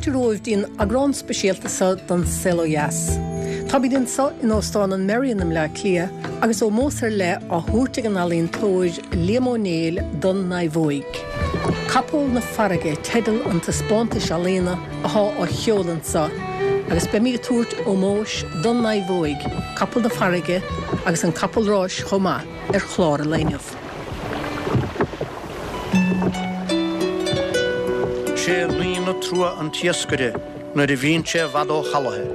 Fáilte romhaibh dtí'n eagrán speisialta seo den Saol Ó Dheas. Táimid anseo in Óstán an Merrion i mBleá Cliath agus ómós ar leith á thabhairt ag an ealaíontóir Liam Ó Néill don naomhóig. Capall na Farraige teideal an taispeántais ealaíona athá á sheoladh anseo agus beimid ag tabhairt ómóis don naomhóig, Capall na Farraige agus an capall ráis chomh maith ar chlár an lae inniu. Sé naoi na trua an t-iascaire nuair a bhíonn sé i bhfad ó chalaithe,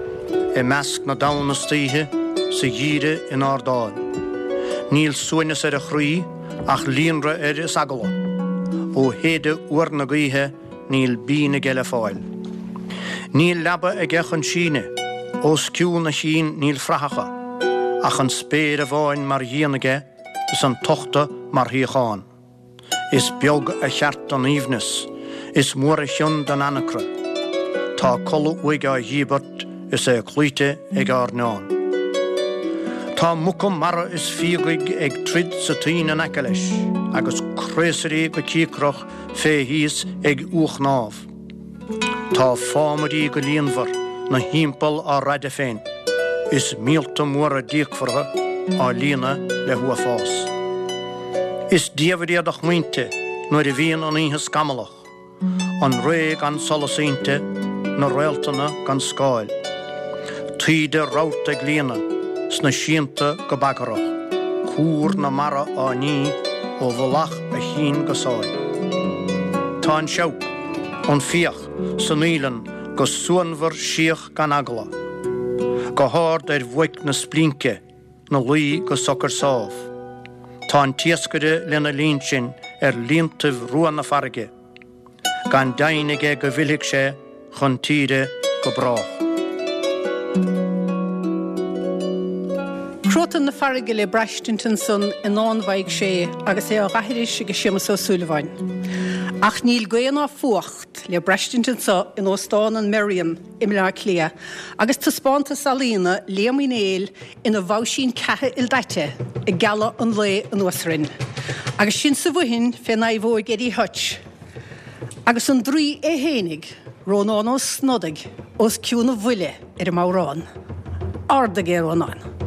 i measc na dtonn istoíche, sa gheimhreadh in Ard Áil. Níl suaimhneas ar a chroí ach líonrith air is eagla. Ó shéideadh fhuar na gaoithe níl bean aige le fáil. Níl leaba aige chun síneadh, os cionn a chinn níl fraitheacha, ach an spéir amháin mar dhíon aige, is an tochta mar shuíochán. Is beag a cheart don aoibhneas, is mór a chion don anacra. Tá codladh uaidh á dhíbirt is é cloíte ag airneán. Tá muca mara is fiagaigh ag troid sa toinn in aice leis, agus craosairí go cíocrach fé thíos ag uathshnámh. Tá fámairí go líonmhar 'na thimpeall á raideadh féin, is míolta móra díocmhartha á líonadh le huafás. Is diamhair iad a smaointe nuair a bhíonn an oíche scamallach, an ré gan solas inti, na réaltanna gan scáil. Taoide rabharta ag líonadh sna síonta go bagarach, cúr na mara á ní ó mhullach a chinn go sáil. Tá an seabhac, an fiach, san fhaoileann go suanmhar síoch gan eagla, go hard ar bhuaic na splince 'na luí go socair sámh. Tá an t-iascaire lena linn sin ar líontaibh rua na farraige, gan deimhin aige go bhfillfidh sé chun tíre go brách. Cruatan na farraige le braistint ansan i ndán Mhaidhc Sé agus é á dh'aithris ag Séamus Ó Súilleabháin. Ach níl gaoth ná fuacht le braistint anso in Óstán an Merrion i mBleá Cliath agus taispeántas ealaíona Liam Uí Néill ina bhabhsín ceatha ildaite ag gealadh an lae anuas orainn. Agus sinn sa bhfoithin fé naomhóig Eddie Hutch agus an draoi é fhéinig, Rónán Ó Snodaigh, os cionn a bhuille ar an mbodhrán. Ardaigh é, a Rónáin!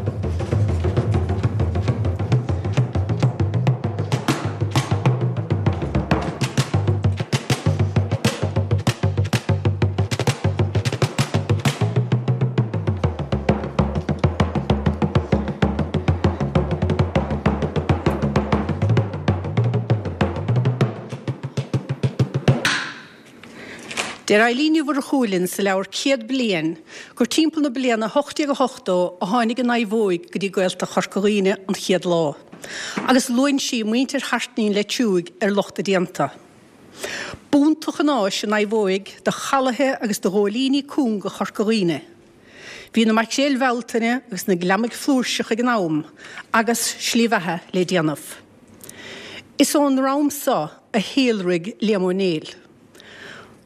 Deir Eilín Ní Mhurchú linn sa leabhar 100 Bliain gur timpeall na bliana 1880 a tháinig an naomhóig go dtí Gaeltacht Chorca Dhuibhne an chéad lá, agus luann sí muintir Hairtnín Leitriúigh ar lucht a déanta. B'iontach an áis an naomhóig do chalaithe agus do ghóilíní cúnga Chorca Dhuibhne. Bhí na maicréil Bhealtaine agus na gliomaigh flúirseach ag an am agus slí bheatha le déanamh. Is ón ndream so a shíolraigh Liam Ó Néill.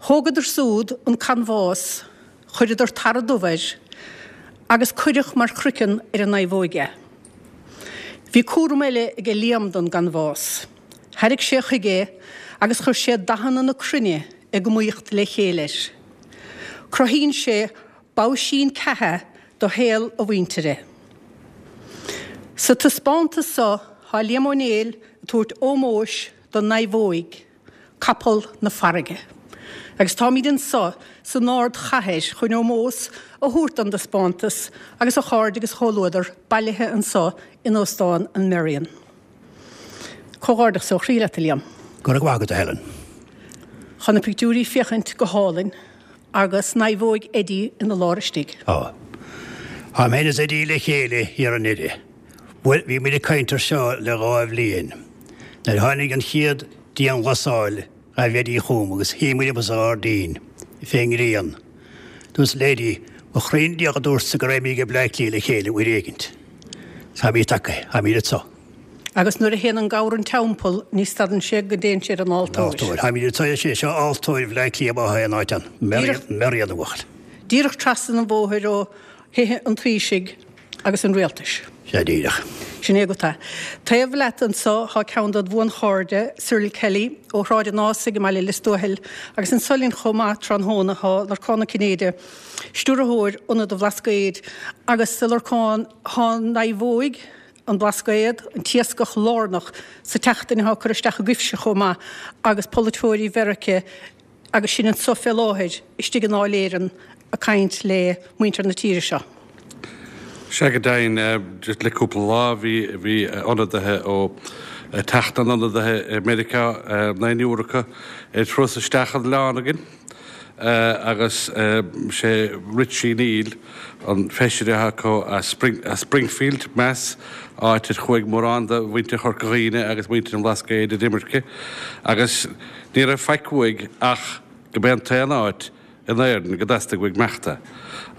Thógadar súd an canbhás, chuireadar tarra dubh air agus cuireadh mar chroiceann ar an naomhóig é. Bhí cúram eile aige Liam don gcanbhás. Thairrig sé chuige é agus chuir sé dathanna na cruinne ag iomaíocht le chéile air. Cruthaíonn sé babhsín ceatha do shaol a mhuintire. Sa taispeántas so tá Liam Ó Néill ag tabhairt ómóis don naomhóig, Capall na Farraige. Agus táimid anso san ardchathair chun ómós a thabhairt don dtaispeántas agus a chairde agus a chomhluadar bailithe anso in Óstán an Merrion. Comhghairdeachas ó chroí leat, a Liam. Go raibh maith agat, a Helen. Tá na pictiúirí ag féachaint go hálainn agus naomhóig Eddie ina lár istigh. Tá. Tá mé is Eddie le chéile thiar i nDoire. Bhuel, bhí muid ag caint ar seo le 2 bhliain. Nuair a tháinig an chéad dianghlasáil, ghaibh Eddie chugam agus shuigh muid amuigh sa ghairdín, fén ngrian. Dúirt le Eddie, Mo chroí 'na diaidh a dúrtsa go raibh muid ag Bleá Cliath le chéile uair éigint. Táimid tagtha, táimid anso. Agus nuair a théann an gabhar an teampall ní stadann sé go dtéann sé ar an altóir. Altóir. Táimid anso, is é seo altóir Bhleá Cliath má thá aon áit ann. Merrion, a bhuachaill. Díreach trasna an bhóthair ó thithe an Taoisigh agus an Rialtais. Sea, díreach. Sin é agat é. Taobh leat anso thá ceann dod bhuanchairde, Cyril Kelly, ó Shráid an Ásaigh i mbaile Lios Tuathail, agus anso linn chomh maith tráthnóna thá Lorcán Ó Cinnéide, Stiúrthóir Ionad an Bhlascaoid, agus a Lorcáin, thá an naomhóig, an Blascaod, an t-iascach lárnach sa tseachtain athá ag cur isteach agaibhse chomh maith agus polaiteoirí Mheirice agus sinn anso fé láthair istigh i nDáil Éireann ag caint le muintir na tíre seo. Sea go deimhin, just le cúpla lá bhí bhí ionadaithe ó Teach na nIonadaithe i Meiriceá, naonúr acu, ar thuras isteach an oileán againn agus sé Richie Neal an feisire atá acu as Springfield, Mass, áit ar chuaigh mórán de mhuintir Chorca Dhuibhne agus muintir an Bhlascaoid ar imirce agus Ní raibh faic uaidh ach go b'é an t-aon áit in Éirinn go dteastaigh uaidh imeachta,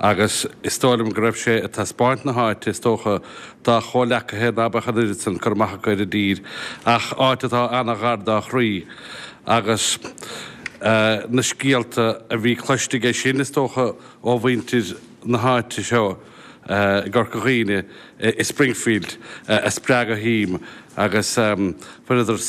agus is dóigh liom go raibh sé ag taispeáint na háite, is dócha, dá chomhleacaithe ná beadh an oiread san cur amach acu ar an dtír, ach áit atá ana-ghar dá chroí, agus na scéalta a bhí cloiste aige sin, is dócha, ó mhuintir na háite seo i gCorca Dhuibhne, i Springfield, a spreag a shuim agus bhaineadar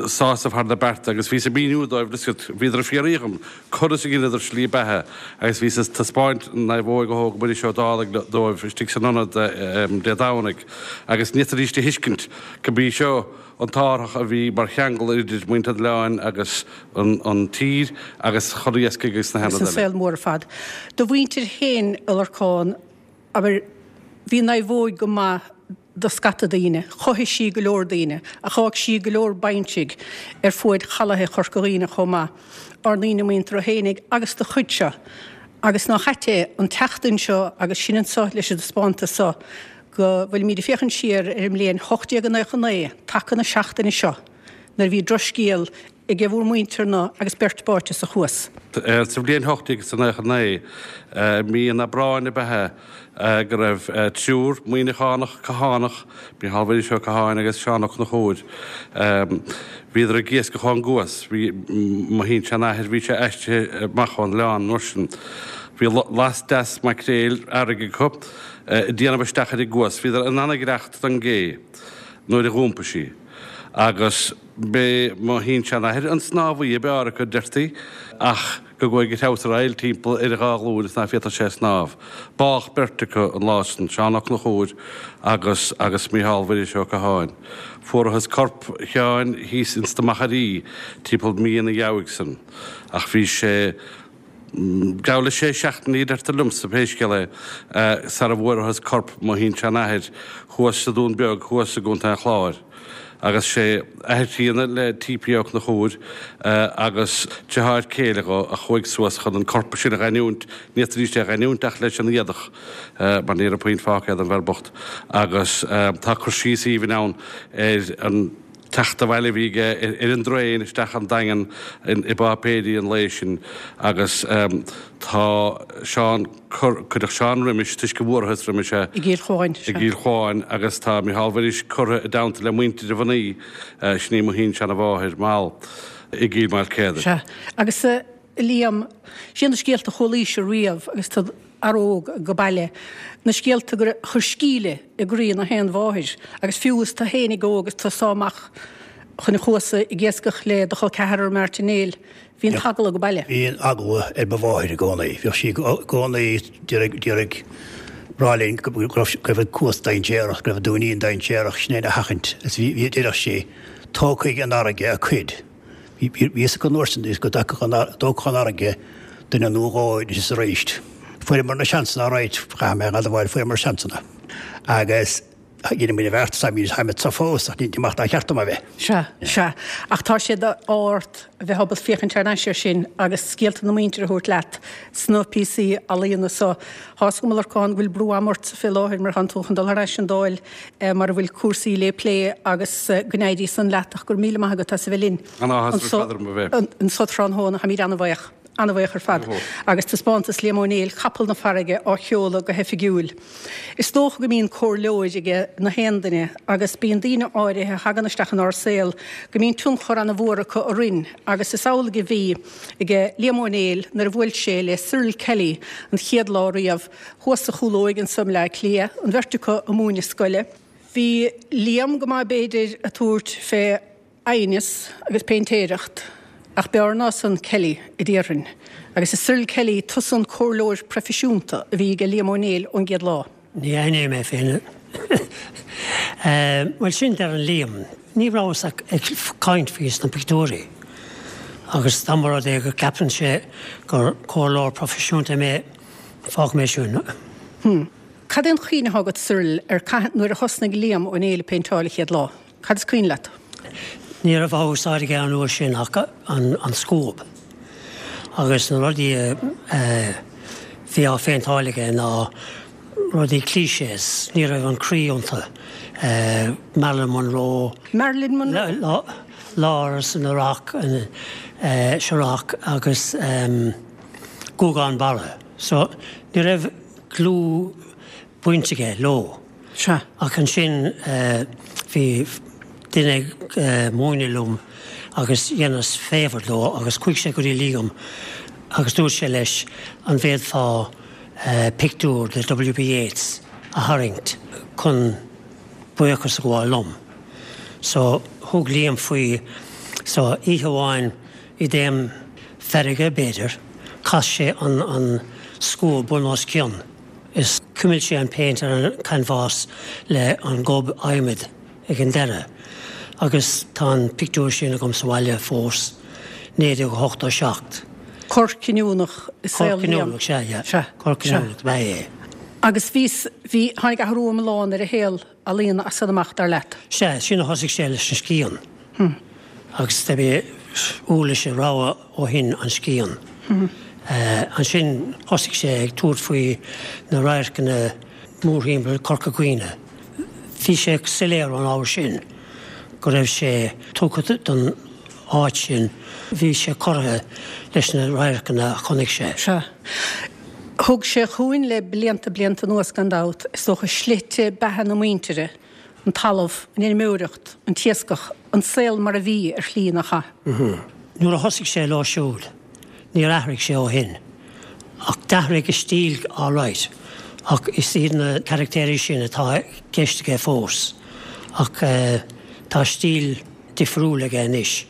sásamh thar na bearta agus bhíos ag míniú dóibh, bhíodar ag fiafraí dhom conas a dheineadar slí beatha agus bhíos ag taispeáint an naomhóig a thóg Muiris Ó Dálaigh dóibh istigh san ionad Dé Domhnaigh agus ní fhéadfaidís a thuiscint go mb'í seo an t-árthach a bhí mar cheangal idir muintir an oileáin agus an tír agus chun iascaigh agus na hionaid eile. Agus an saol mór ar fad. Do mhuintir féin, a Lorcáin, abair, bhí an naomhóig go maith do scata daoine, chothaigh sí go leor daoine, ach d'fhág sí go leor baintridh ar fuaid chalaithe Chorca Dhuibhne chomh maith, ár ndaoine muinteartha fhéinig agus do chuid seo. Agus nach ait é an tseachtain seo agus sinn anso leis an dtaispeántas so, go bhfuilimíd ag féachaint siar ar an mbliain 1899, taca na seachtaine seo, nuair a bhí drochscéal ag bhur muintir-na agus beirt báite sa chuas. Sa bhliain 1899, mí an Aibreáin ab ea é, go raibh triúr Muimhneachánach, Cathánach, Mícheál Mhuiris Ó Catháin agus Seán Ó Conchúir, bhíodar ag iascach ón gCuas. Bhí mo shin-seanathair, bhí sé aistrithe amach ón oileán an uair sin. Bhí last deas maicréil fharraige acu ag déanamh isteach ar an gCuas. Bhíodar in an-ghaireacht don gcé nuair a dh'iompaigh sí agus b'é mo shin-seanathair an snámhaí ab fhearr acu, deirtí, ach go gcuaigh a threabhsar aill timpeall ar a dhá ghlúin is ná féadfadh sé snámh. Bádh beirt acu an lá sin, Seán Ó Conchúir agus agus Mícheál Mhuiris Ó Catháin. Fuarathas corp Sheáin thíos ins na Machairí timpeall mí ina dheabhaidh san, ach bhí sé geall le sé seachtainí, deirtear liomsa, pé scéal é, sara bhfuarathas corp mo shin-seanathair thuas sa Dún Beag thuas i gContae an Chláir. Agus sé athair críonna le T.P. Ó Conchúir agus deartháir céile dho a chuaigh suas chun an corp sin a gheinniúint, ní fhéadfaidís é a gheinniúint ach leis an éadach, mar ní raibh puinn fágtha den bhfear bocht. Agus tá cur síos aoibhinn ann ar an. teacht abhaile a bhí aige ar an dtraein isteach an Daingean i bpáipéirí an lae sin agus tá Seán, cuireadh Seán roimis toisc go bhfuarathas roimis é I gCill Chuáin, i gCill Chuáin agus tá Micheál Mhuiris curtha i dteannta le muintir a mhnaoi, sin í mo shin-seanamháthair, Mal, i gCill Maoilchéadair. Sea, agus a Liam, sé na scéalta a chualaís riamh agus tú fhear óg go baile, na scéalta gur chuir scíle i gcroí na haon mháthair, agus fiú is tú fhéinig óg is tú ag sá amach chun an chuasa ag iascach le do chol ceathrar Martin Néill, bhí an t-eagla go baile. Bhí an eagla ar mo mháthair i gcónaí. Bhíodh sí i gcónaí d'iarraidh rá linn go raibh an cuas dainséarach, go raibh an Dúinín dainséarach, sin é a sheachaint. Agus bhí, deireadh sí, tógfaidh an fharraige a cuid. Bhí a fhios acu an uair sin go dtógfadh an fharraige duine nó dhó anois is arís. Fuaireamar na seansanna alright, chaithfidh mé a admháil, fuaireamar seansanna. Agus dhein muid an bheart, táimid anso fós ach ní mar ba cheart dom a bheith. Sea, sea. Ach tá sé d'ádh ort a bheith ábalta féachaint thar n-ais air sin agus scéalta na muintire a thabhairt leat sna píosaí ealaíona so. Tá's agam, a Lorcáin, go bhfuil brú ama ortsa fé láthair mar tánn tú chun dul thar ais an Dáil mar a bhfuil cúrsaí lé plé agus go n-éirí san leat ach go raibh míle maith agat as a bheith linn anso tráthnóna. Táimid an-bhaoch, an-bhaoch ar fad agus taispeántas Liam Ó Néill, Capall na Farraige á sheoladh go hoifigiúil. Is dócha go mbíonn comhairleoir age na haon duine agus bíonn daoine áirithe a thagann isteach inár saol go mbíonn tionchar an-mhór acu orainn agus is amhlaidh a bhí age Liam Ó Néill nuair a bhuail sé le Cyril Kelly an chéad lá riamh thuas sa Chúlóig anso i mBleá Cliath, an bheirt acu ag múineadh scoile. Bhí Liam go maith b'fhéidir ag tabhairt fé aighneas agus péintéireacht ach b'fhearr ná san Kelly a déarfainn. Agus is Cyril Kelly tusa an comhairleoir proifisiúnta a bhí aige Liam Ó Néill ón gcéad lá. Ní aithním é féin. Bhuel sin deireann Liam. Ní rabhas ach ag caint faoi sna pictiúirí agus dá mba rud é go gceapann sé gur comhairleoir proifisiúnta mé, fágfaidh mé sin. Hm. Cad é an chuimhne atá agat, Cyril, ar cathain nuair a thosnaigh Liam Ó Néill ag péinteáil an chéad lá? Cad is cuimhin leat? Ní raibh á úsáid aige an uair sin ach an scuab. Agus na rudaí a bhí á phéinteáil aige ná rudaí clichés, ní raibh an croí iontu. Marilyn Monroe. Marilyn Monroe? Lawrence in Iraq, Iraq agus Guagán Barra. So ní raibh dlúthbhaint aige leo. Sea. Ach ansin bhí duine ag múineadh liom agus dheineas favour dó agus chuaigh sé go dtí Liam agus dúirt sé leis an bhféadfá pictiúr de W.B. Yeats a tharraingt chun buíochas a ghabháil liom. So thug Liam faoi so oíche amháin i dtaom feirge b'fhéidir, chas sé an scuab bun os cionn. Is chuimil sé an péint ar an canbhás le an gob adhmaid ag an deireadh agus tá an pictiúr sin agam sa bhaile fós, 1987. Cor cinniúnach i saol Liam. Cor cinniúnach, sea, yeah. Sea. Cor cinniúnach ab ea é. Agus bhí, bhí, tháinig athrú iomlán ar a shaol ealaíona as san amach, dar leat? Sea, sin a thosaigh sé leis an scian. Agus do bhí uirlis a rogha ó shin, an scian. Ansin thosaigh sé ag tabhairt faoi na radharcanna mórthimpeall Corca Dhuibhne. Bhí sé soiléir ón ábhar sin go raibh sé tugtha don áit sin. Bhí sé corraithe leis na radharcanna a chonaic sé. Sea. Thug sé chugainn le blianta, blianta anuas gan dabht, is dócha, slite beatha na muintire, an talamh, an fheirmeoireacht, an t-iascach, an saol mar a bhí, ar shlí, nach ea? Nuair a thosaigh sé leo siúd, níor athraigh sé ó shin. Ach d'athraigh a stíl alright, ach is iad na caractéirí sin atá i gceist aige fós. Ach tá stíl difriúil aige anois.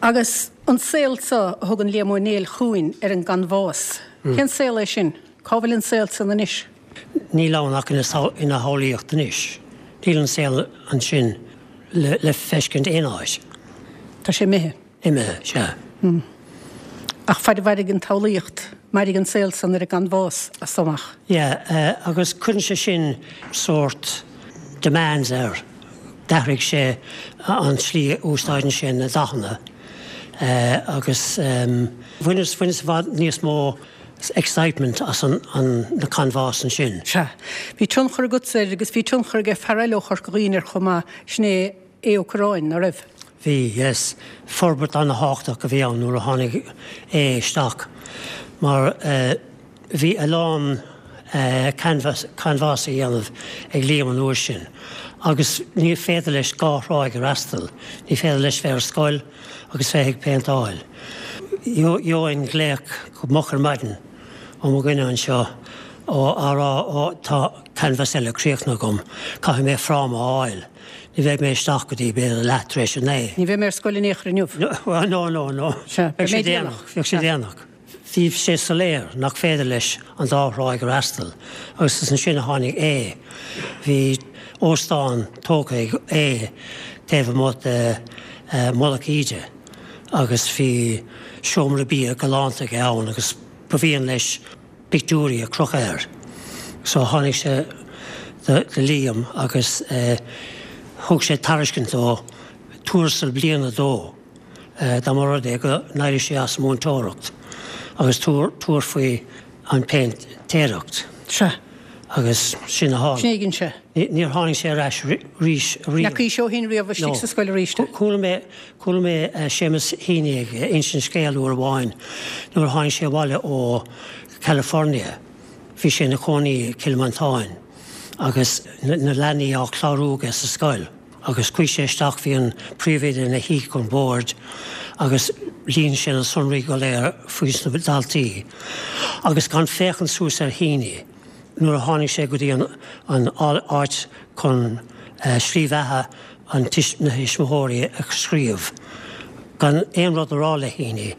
Agus an saol seo a thugann Liam Ó Néill chugainn ar an gcanbhás, cén saol é sin? Cá bhfuil an saol san anois? Níl ann ach ina shamhlaíocht anois. Níl an saol ansin le feiscint aon áit. Tá sé imithe. Imithe, sea. Ach faid a mhairfidh an tsamhlaíocht, mairfidh an saol san ar an gcanbhás as so amach. Yeah, agus cuireann sé sin sórt demands air. D'athraigh sé an tslí a úsáideann sé na dathanna agus bhaineas, bhaineas i bhfad níos mó excitement as an na canbhás ansin. Sea. Bhí tionchar agatsa air agus bhí tionchar ag fear eile ó Chorca Dhuibhne air chomh maith, sin é Aodh Ó Cuirreáin, ná raibh? Bhí, yes. Forbairt ana-thábhachtach a bhí ann nuair a tháinig Aodh isteach mar bhí a lán canbhás á dhéanamh ag Liam an uair sin agus ní féidir leis dhá thráigh a fhreastal, ní féidir leis bheith ar scoil agus bheith ag péinteáil. Gheobhainn glaoch go moch ar maidin ó mo dhuine anseo á rá ó tá canbhás eile críochnaithe agam, caithfidh mé fráma a fháil, ní bheidh mé isteach go dtí b'fhéidir leath tar éis a naoi. Ní bheidh mé ar scoil in aon chor inniu. No, no, no. Sea, beidh mé déanach. Bheadh sé déanach. Bhí sé soiléir nach féidir leis an dá thráigh a fhreastal agus is ansin a tháinig Aodh. Bhí óstán tógtha ag Aodh taobh amuigh de Mhullach Íde agus bhí seomra bia galánta aige ann agus ba mhian leis pictiúirí a chrochadh air. So tháinig sé do Liam agus thug sé tairiscint dó tuarastal bliana dó. dá mba rud é go n-éireodh sé as an múinteoireacht agus tabhairt faoi an péintéireacht. Sea. Agus sin a tharla. Sin é a dhein sé. Níor tháinig sé ar ais arís riamh. Ndeachaigh sé ó shin riamh istigh sa scoil arís. Chuala mé, chuala mé Séamus Heaney ag insint scéal uair amháin nuair a tháinig sé abhaile ó California. Bhí sé ina chónaí i gCill Mhantáin agus na leanaí á clárú aige sa scoil. Agus chuaigh sé isteach, bhí an príomhoide ina shuí chun boird agus líon sé na sonraí go léir faoi na daltaí. Agus gan féachaint suas ar Heaney. nuair a tháinig sé go dtí an áit chun slí bheatha an na thuismitheoirí a scríobh, gan aon rud a rá le hAoinne,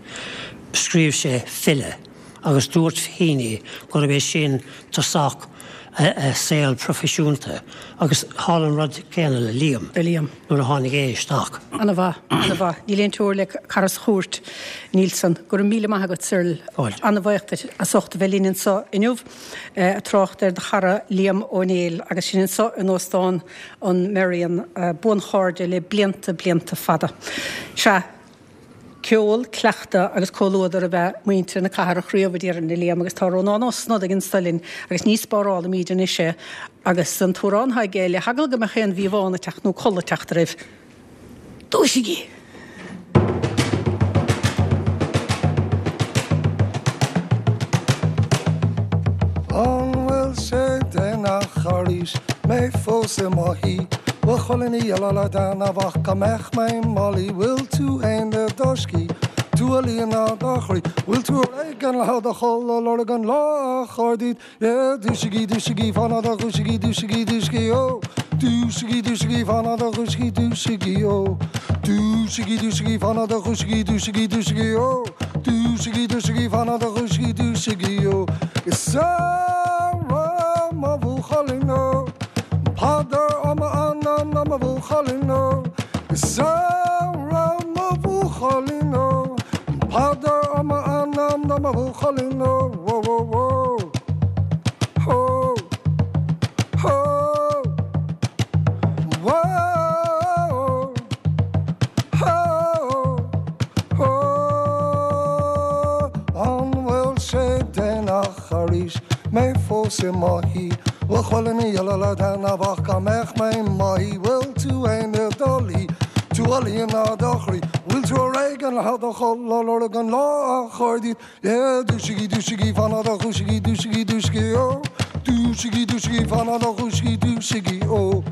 scríobh sé file agus dúirt Heaney gurb é sin tosach a saol proifisiúnta agus tharla an rud céanna le Liam nuair a tháinig é isteach. Ana mhaith, ana mhaith. Níl aon teora le cara sa chúirt, Nílsan. Go raibh míle maith agat, Cyril. Fáilte. Ana bhuíoch duit as ucht a bheith linn anseo inniu ag trácht ar do chara Liam Ó Néill agus sinn anseo in Óstán an Merrion, buanchairde le blianta, blianta fada. Sea. Ceol, cleachtadh agus comhluadar ab ea muintir na Cathrach riamh, a déarfainn, a Liam, agus tá Rónán Ó Snodaigh anso linn agus ní spárálaimíd anois é agus an t-amhrán atá aige le heagla go mbeadh aon mhíobhán ag teacht nó codladh ag teacht oraibh. Dúisigí! An bhfuil sé déanach arís, mé fós i mo shuí? Bhfuil chuile ní uile le déanamh ach go mbeadh mé i mo luí? Bhfuil tú fhéin i do scíth, tú a líonadh do chroí? Bhfuil tú ar éigean le do chodladh, lorg an lá a chur díot? Yeah, dúisigí, dúisigí, fan a do dhúisigí, dúisigí, dúisigí, ó. Dúisigí, dúisigí, fan a do dhúisigí, dúisigí, ó. Dúisigí, dúisigí, fan a do dhúisigí, dúisigí, dúisigí, ó. Dúisigí, dúisigí, fan a do dhúisigí, dúisigí, ó. Is Sarah mo bhuachaillín, ó. Peadar ó m'anam ná mo bhuachaillín, ó. Is Sarah mo bhuachaillín, ó. Peadar ó m'anam ná mo bhuachaillín, ó. Wó wó wó. Hó. Hó. Wó. Hó. Hó. An bhfuil sé déanach arís, mé fós i mo shuí? Bhfuil chuile ní uile le déanamh ach go mbeadh mé i mo shuí? Bhfuil tú fhéin i do luí, tú a líonadh do chroí? Bhfuil tú ar éigean le do chodladh, lorg an lá a chur díot? Yeah, dúisigí, dúisigí, fan a do dhúisigí, dúisigí, dúisigí, ó. Dúisigí, dúisigí, fan a do dhúisigí, dúisigí, ó.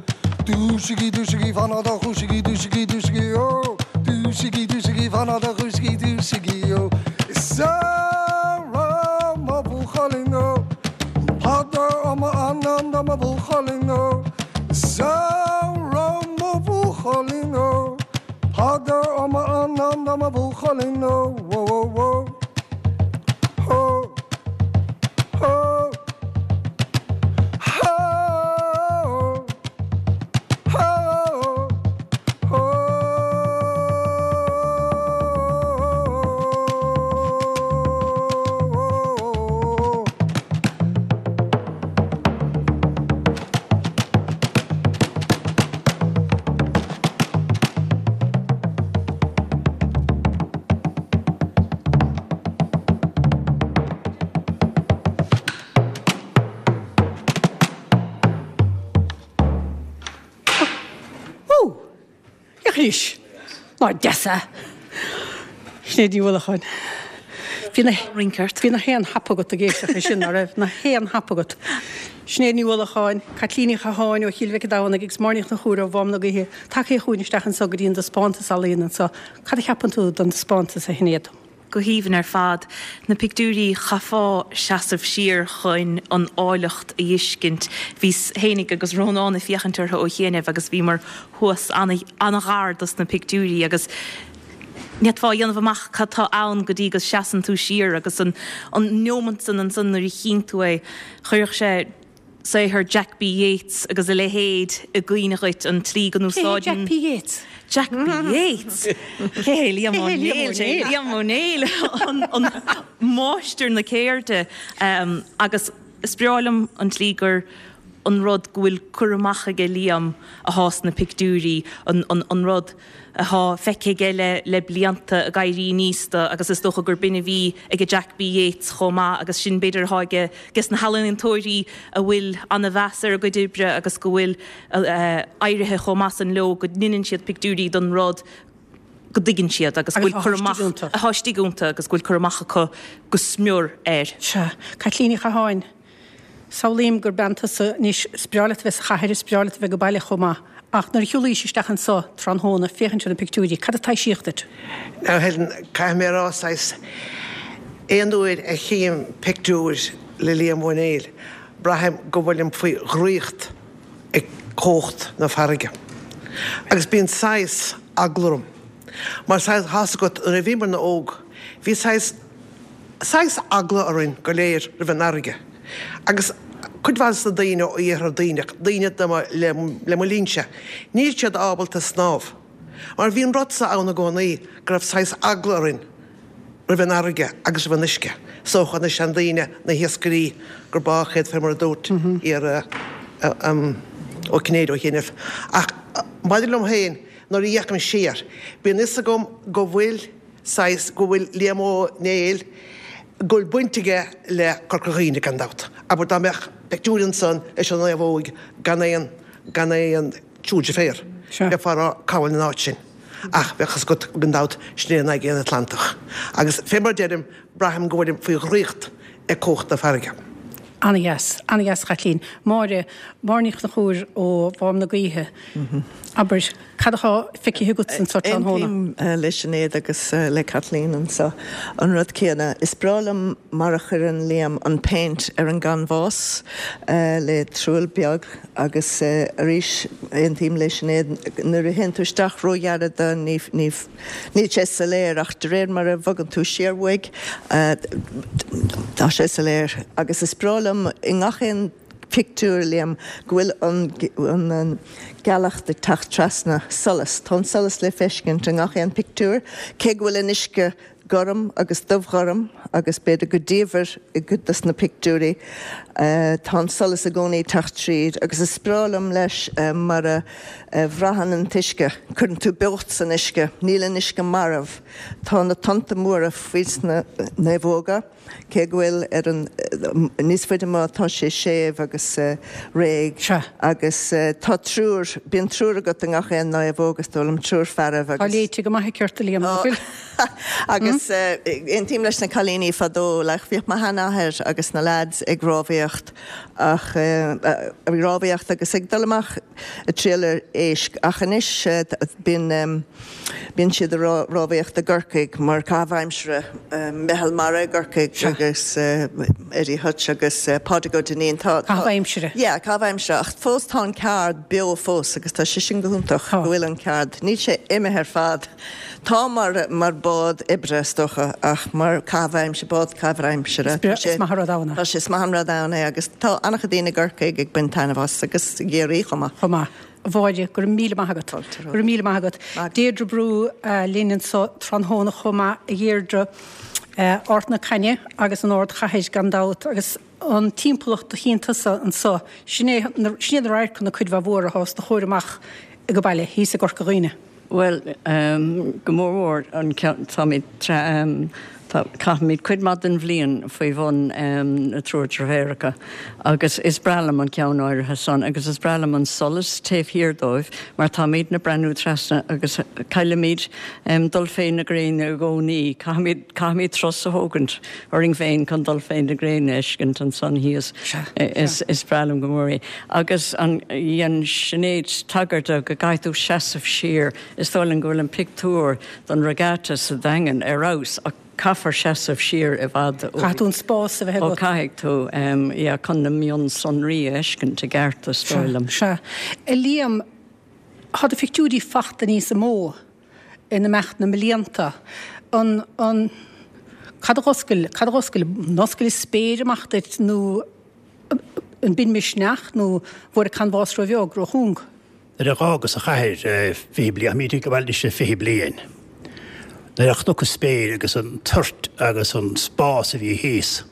Dúisigí, dúisigí, fan a do dhúisigí, dúisigí, dúisigí, ó. Dúisigí, dúisigí, fan a do dhúisigí, dúisigí, ó. Is Sarah mo bhuachaillín, ó. Peadar ó m'anam do mo bhuachaillín, ó. Is Sarah mo bhuachaillín, ó. Peadar ó m'anam do mo bhuachaillín ó wó wó wó hó hó hó hó hó. Ó! Féach anois! Nár deas é? Sinéad Ní Uallacháin. Bhí na Rince ort. Bhí na haon hap agat ag éisteacht leis sin, ná raibh? Na haon hap agat. Sinéad Ní Uallacháin, Caitlín Ní Chatháin ó Chill Mhic an Domhnaigh agus Máire Ní Chonchúir ó Mhám na Gaoithe tagtha chugainn isteach anso go dtí an dtaispeántas ealaíon anso. Cad a cheapann tú den taispeántas, a Shinéad? Go haoibhinn ar fad. Na pictiúirí, chaithfeá seasamh siar chun an áilleacht a fheiscint. Bhíos fhéinig agus Rónán ag féachaint orthu ó chianaibh agus bhíomar thuas an-ghar dos na pictiúirí agus ní fhéadfá a dhéanamh amach cad tá ann go dtí go seasann tú siar agus an neomant san ansan nuair a chíonn tú é, chuirfeadh sé saothar Jack B. Yeats agus a leithéid i gcuimhne dhuit, an tslí go Cé hé Jack n-úsáideann P. Yeats? Jack B. Yeats? Cé hé Liam Ó Néill? Liam Ó Néill, an máistir na ceirde. Agus is breá liom an tslí gur an rud go bhfuil cur amach aige Liam athá sna pictiúirí, an rud athá feicthe aige le le blianta ag éirí aníos do agus is dócha gur b'in a bhí age Jack B. Yeats chomh maith agus sin b'fhéidir athá age ges na healaíontóirí a bhfuil ana-mheas ar a gcuid oibre agus go bhfuil éirithe chomh maith san leo go ndeineann siad pictiúirí don rud go dtuigeann siad agus go bhfuil cur amach athá istigh iontu agus go bhfuil cur amach acu go smior air. Sea. Caitlín Ní Chatháin. Samhlaím gur bean tusa anois, is breá leat a bheith sa chathair, is breá leat a bheith ag baile chomh maith, ach nuair a shiúlaís isteach anso tráthnóna féachaint ar na pictiúirí, cad a taibhsíodh duit? Now Helen, caithfidh mé a rá saghas, aon uair a chím pictiúr le Liam Ó Néill, braithim go bhfuilim faoi dhraíocht ag cumhacht na farraige. Agus bíonn saghas eagla orm. Mar saghas, tá's agat, nuair a bhíomarna óg, bhí saghas, saghas eagla orainn go léir roimh an fharraige. Agus cuid mhaith de na daoine ó Iarthar Duibhneach, daoine de mo, le, le mo linnse, níl siad ábalta snámh. Mar bhí an rud so ann i gcónaí go raibh saghas eagla orainn roimh an fharraige agus roimh an uisce. Is dócha na seandaoine, na hiascairí, gur bádh iad fé mar a dúirt iar Ó Cinnéide ó chianaibh. Ach maidir liom féin, nuair a fhéachaim siar, bíonn fhios agam go bhfuil saghas, go bhfuil Liam Ó Néill, go bhfuil baint aige le Corca Dhuibhne gan dabht. Abair dá mbeadh pictiúr ansan leis an naomhóig gan aon, gan aon, triúr deirféar. Bheifeá ag rá cá bhfuil an áit sin. Ach bheadh fhios agat gan dabht sin é an Aigéan Atlantach. Agus fé mar a deirim, braithim go bhfuilim faoi dhraíocht ag cumhacht na farraige. Ana-dheas. Ana-dheas, a Chaitlín. Máire, Máire Ní Chonchúir ó Mhám na Gaoithe. Abair, cad atá feicthe agatsa anseo tráthnóna? Aontaím le Sinéad agus le Caitlín anseo. An rud céanna. Is breá liom mar a chuireann Liam an péint ar an gcanbhás le truaill beag. Agus arís, aontaím le Sinéad, nuair a théann tú isteach róghar dó, ní, ní, níl sé soiléir ach de réir mar a bhogann tú siar uaidh, tá sé soiléir. Agus is breá liom i ngach aon phictiúr, Liam, go bhfuil an, an, an gealach ag teacht trasna, solas, tá an solas le feiscint i ngach aon phictiúr, cé go bhfuil an uisce gorm agus dubhghorm agus b'fhéidir go diamhair i gcuid dos na pictiúirí. Tá an solas i gcónaí ag teacht tríd agus is breá liom leis mar a bhraitheann an t-uisce. Cuireann tú beocht san uisce. Níl an uisce marbh. Tá na tonnta móra faoi sna naomhóga. Cé go bhfuil ar an, níos faide amuigh tá sé séimh agus réidh Sea. agus tá triúr, bíonn triúr agat i ngach aon naomhóg is dóigh liom, triúr fearaibh Tá agus. léite go maith aici ort, a Liam, nach bhfuil? Agus aontaím leis na cailíní fadó, like bhíodh mo sheanathair agus na lads ag rámhaíocht ach, ag rámhaíocht agus ag dul amach ag triall ar éisc ach anois bíonn, Bíonn siad ag rámhaíocht i gCorcaigh mar caitheamh aimsire, Meitheal Mara i gCorcaigh agus Eddie Hutch agus Pádraig Ó Duinnín. Tá, Caitheamh aimsire. Yeah, caitheamh aimsire ach fós tá an ceard beo fós agus tá sé sin go hiontach go bhfuil an ceard, níl sé imithe ar fad. Tá mar, mar bád oibre is dócha ach mar caitheamh aimsire, bád caitheamh aimsire. Is breá, is maith an rud ann é. Tá sé, is maith an rud ann é agus tá an-chuid daoine i gCorcaigh ag baint taitneamh as agus i gCiarraí chomh maith. Chomh maith. A Mháire, go raibh míle maith agat. Go raibh míle maith agat. Deirdre Brú linn anseo tráthnóna chomh maith, a Dheirdre. Ard na Caithne agus an ardchathair gan dabht agus an timpeallacht a chíonn tusa anseo, sin é, sin iad na radharcanna cuid mhaith mhór atá os do chomhair amach ag an baile, thíos i gCorca Dhuibhne. Bhuel, go mór mhór an ceann, táimid, tá, caithimid cuid maith den bhliain faoi bhun na triúr deirféaracha agus is breá liom an ceann áirithe san agus is breá liom an solas taobh thiar dóibh mar táimidne ag breathnú trasna agus caillimid dul fé na gréine i gcónaí, caithfimid, caithfimid turas a thógaint orainn féin chun dul fé na gréine a fheiscint ansan thíos. Is, is breá liom go mór é. Agus an, dhein Sinéad tagairt do go gcaithfidh tú seasamh siar, is dóigh liom go bhfuil an pictiúr don regatta sa Daingean ar fheabhas ach caithfear seasamh siar i bhfad ó. Caithfidh tú an spás a bheith agat. Ó caithfidh tú, yeah, chun na mionsonraí a fheiscint i gceart is dóigh liom. Sea. A Liam, tá do phictiúirí fachta níos mó in imeacht na mblianta. An, an, cad a dh'oscail, cad a dh'oscail, an oscail an spéir amach duit nó an b'in misneach nó bhfuair an canbhás ró-bheag, ró-chúng? Nuair a dh'fhágas an chathair 20 bliain, táimid ag gabháil anois le 20 bliain, nuair a chonac an spéir agus an toirt agus an spás a bhí thíos,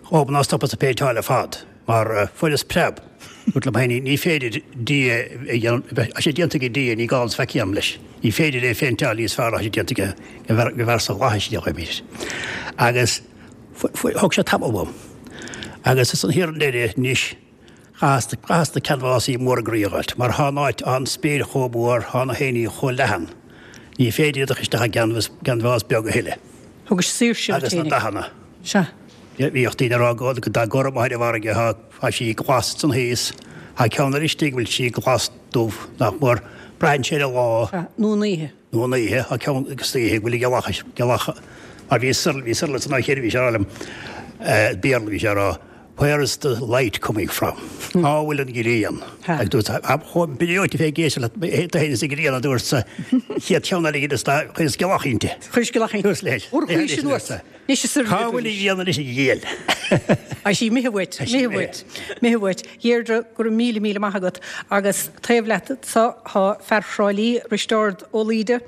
dhóbair ná stopas ag péinteáil ar fad, mar fuaireas preab. Dúrt liom féin, ní féidir Dia a dhéanamh, tá sé déanta ag Dia, ní gá domsa faic a dhéanamh leis. Ní féidir é a phéinteáil níos fearr ná tá sé déanta aige, go bhfearr sa bhflaithis a dhéanamh. Agus thóg sé tamall uaim. Agus ansan thiar i ndeireadh anois, Chaitheas na canbhásaí móra groí a dh'fháilt, mar thá an áit, thá an spéir chomh mór, thá na héinní chomh leathan, ní féidir iad a chur isteach i gcanbhás beag a thuilleadh. Thugais saoirse duit Agus na féinig. dathanna. Sea. Bhíodh daoine ag rá go dath gorm atá ar an bhfarraige, thá, thá sí glas ansan thíos, thá ceann eile istigh go bhfuil sí glas dubh, nach mór, braitheann sé ar an lá. Sea, nó an oíche. Nó an oíche, thá ceann agus oíche go bhfuil gealach, gealach, mar bhí Cyril, bhí Cyril san áit chéanna, bhí sé ag rá liom, Béarla, bhí sé ag rá. Where is the light coming from? Cá bhfuil an ghrian? Agus dúirt chomh breoite fé ag éisteacht leat do fhéin is an ghrian a dúirt sa chéad cheann eile dhíot is chuireas giolach inti. Chuiris giolach inti. Dúirt leis. Úr chuaigh sin uait. Anois is Cá bhfuil an ghrian anois a ghiall? Tá sí imithe uait, imithe uait, imithe uait. Dheirdre, go raibh míle míle maith agat. Agus taobh leat anso tá fear Thrá Lí, Risteárd Ó Laoide.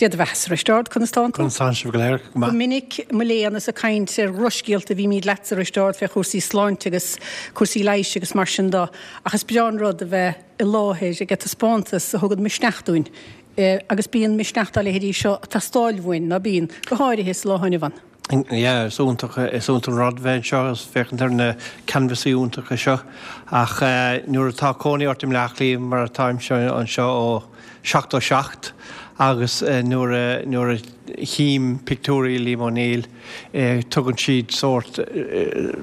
Dia do bheathasa, a Risteárd, conas tánn tú? Conas tánn sibh go léir? Go maith. Go minic, mo léan, is ag caint ar dhrochscéalta a bhímíd leatsa, a Risteárd, fé chúrsaí sláinte agus cúrsaí leighis agus mar sin do, ach is breá an rud a bheith i láthair ag taispeántas a thugann misneach dúinn, agus bíonn misneach dá leithéidí seo ag teastáil uainn, ná bíonn? Go háirithe sa lá inniu ann. Yeah, is iontach, is iontach an rud bheith anseo agus féachaint ar na canvasaí iontacha seo ach nuair atá cónaí ort i mBleá Cliath mar atáimse anseo ó 77 agus nuair a, nuair a chím pictiúirí Liam O'Neill tugann siad sórt,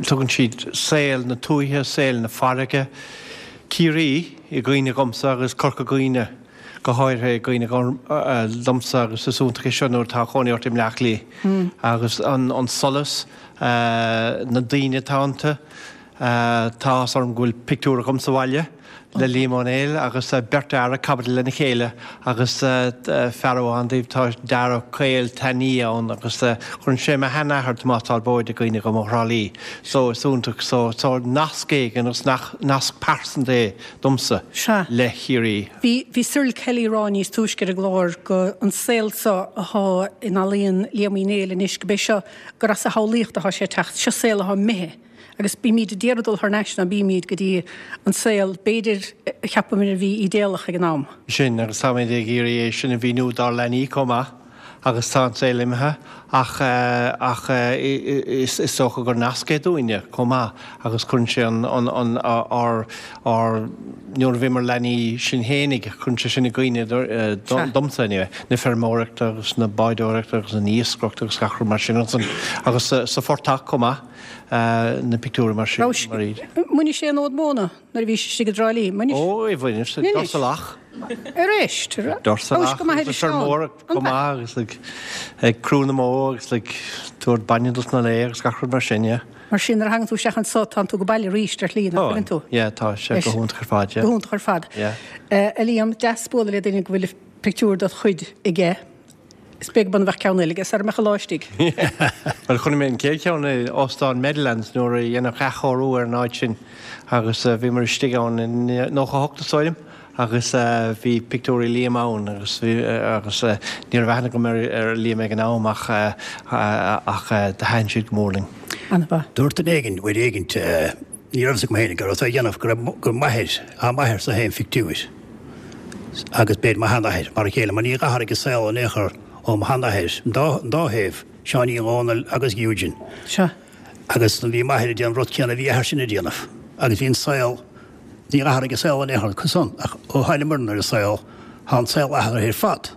tugann siad saol na tuaithe, saol na farraige, Ciarraí i gcuimhne dhomsa agus Corca Dhuibhne. go háirithe i gcuimhne domsa agus is iontach é seo nuair atá cónaí ort i mBleá Cliath agus an solas, na daoine atá iontu. Tá áthas orm go bhfuil pictiúr agam sa bhaile le Liam Ó Néill agus beirt fhear ag caibidil lena chéile agus fear amháin díobh tá dearg caol tanaí ann agus cuireann sé mo sheanathair Tomás Talbóid i gcuimhne dhom ó Thrá Lí so is iontach so so nasc éigin agus nasc pearsanta é domsa Sea. le Ciarraí. Bhí, bhí Cyril Kelly ag rá níos túisce ar an gclár go an saol seo athá in ealaíon Liam Uí Néill anois, go b'é seo, gur as a shamhlaíocht athá sé ag teacht, seo saol athá imithe agus bímíd ag iarraidh dul thar n-ais ná bímíd go dtí an saol, b'fhéidir, a cheapamar a bhí ídéalach ag an am. Sin, agus táimid ag iarraidh é sin a mhíniú dár leanaí chomh maith. agus tá an saol imithe ach ach is dócha gur nasc é dúinne chomh maith agus cuireann sé an an ár ár nuair a bhíomar leanaí sinn fhéinig cuireann sé sin i gcuimhne domsa anyway na feirmeoireachta agus na bádóireachta agus an iascaireacht agus gach rud mar sin ansan agus sa phortach chomh maith na pictiúirí mar sin mar iad. Bhainis sé an fhód móna? Nuair a bhís istigh i dTrá Lí, mbainis. Ó, bhaineas, doirse lach. Arís, Doirse lach agus ag feirmeoireacht chomh maith agus ag crú na mbó agus ag tabhairt bainne dos na laoithe agus gach rud mar sin, yeah. Mar sin, nuair a thagann tú isteach anso, tánn tú go baile arís ar shlí, nach bhfuileann tú? Tá, yeah, tá sé go hiontach ar fad, yeah. Go hiontach ar fad. Yeah. A Liam, deas bualadh le duine go bhfuil pictiúr dod chuid aige. Is beag beann a bheadh ceann eile aige sara mbeadh an lá istigh. Bhuel, chonaic mé an chéad cheann i Óstán Meadowlands nuair a dhéanadh athchóiriú ar an áit sin agus bhíomar istigh ann i 98 is dóigh liom agus bhí pictiúirí Liam ann agus bhí agus ní raibh aithne agam ar Liam ag an am ach ach do thaitin siad go mór linn. An-mhaith. Dúirt duine éigin uair éigint Ní raibh fhios agam féin go raibh sé á dhéanamh go raibh gur m'athair, á m'athair-sa féin phictiúir agus b'fhéidir mo sheanathair mar a chéile mar níor athraigh an saol in aon chor ó mo sheanathair, an dá, an dá thaobh, Seáinín Dhónaill agus Eugene. Sea. Agus bhí m'athair ag déanamh an rud céanna a bhí a athair-sin ag déanamh agus bhí an saol, níor athraigh an saol in aon chor san ach ó tháinigeamarna ar an saol, tá an saol athraithe ar fad.